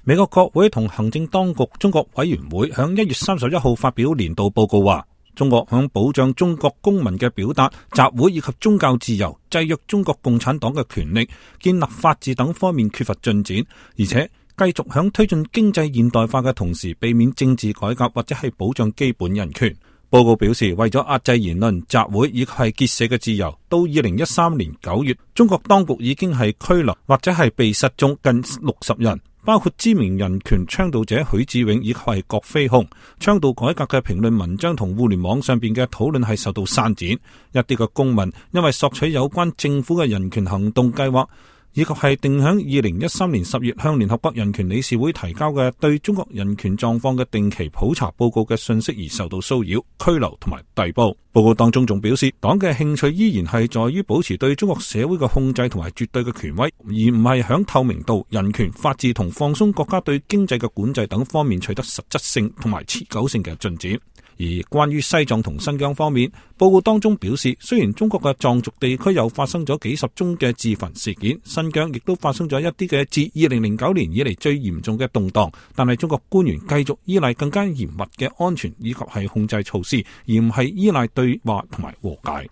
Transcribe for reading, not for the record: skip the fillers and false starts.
美國國會同行政當局中國委員會響1月31號發表年度報告話，中國響保障中國公民嘅表達、集會以及宗教自由、制約中國共產黨嘅權力、建立法治等方面缺乏進展，而且繼續響推進經濟現代化嘅同時，避免政治改革或者係保障基本人權。報告表示，為咗壓制言論、集會以及係結社嘅自由，到2013年9月，中國當局已經係拘留或者係被失蹤近60人，包括知名人權倡導者許志永以及係郭飛雄。倡導改革嘅評論文章同互聯網上邊嘅討論係受到刪剪。一啲嘅公民因為索取有關政府嘅人權行動計劃，以及係定響2013年10月向聯合國人權理事會提交嘅對中國人權狀況嘅定期普查報告嘅信息而受到騷擾、拘留同埋逮捕。報告當中仲表示，黨嘅興趣依然係在於保持對中國社會嘅控制同埋絕對嘅權威，而唔係響透明度、人權、法治同放鬆國家對經濟嘅管制等方面取得實質性同埋持久性嘅進展。而關於西藏同新疆方面，報告當中表示，雖然中國嘅藏族地區又發生咗幾十宗嘅自焚事件，新疆亦都發生咗一啲嘅自2009年以嚟最嚴重嘅動盪，但係中國官員繼續依賴更加嚴密嘅安全以及係控制措施，而唔係依賴對話同埋和解。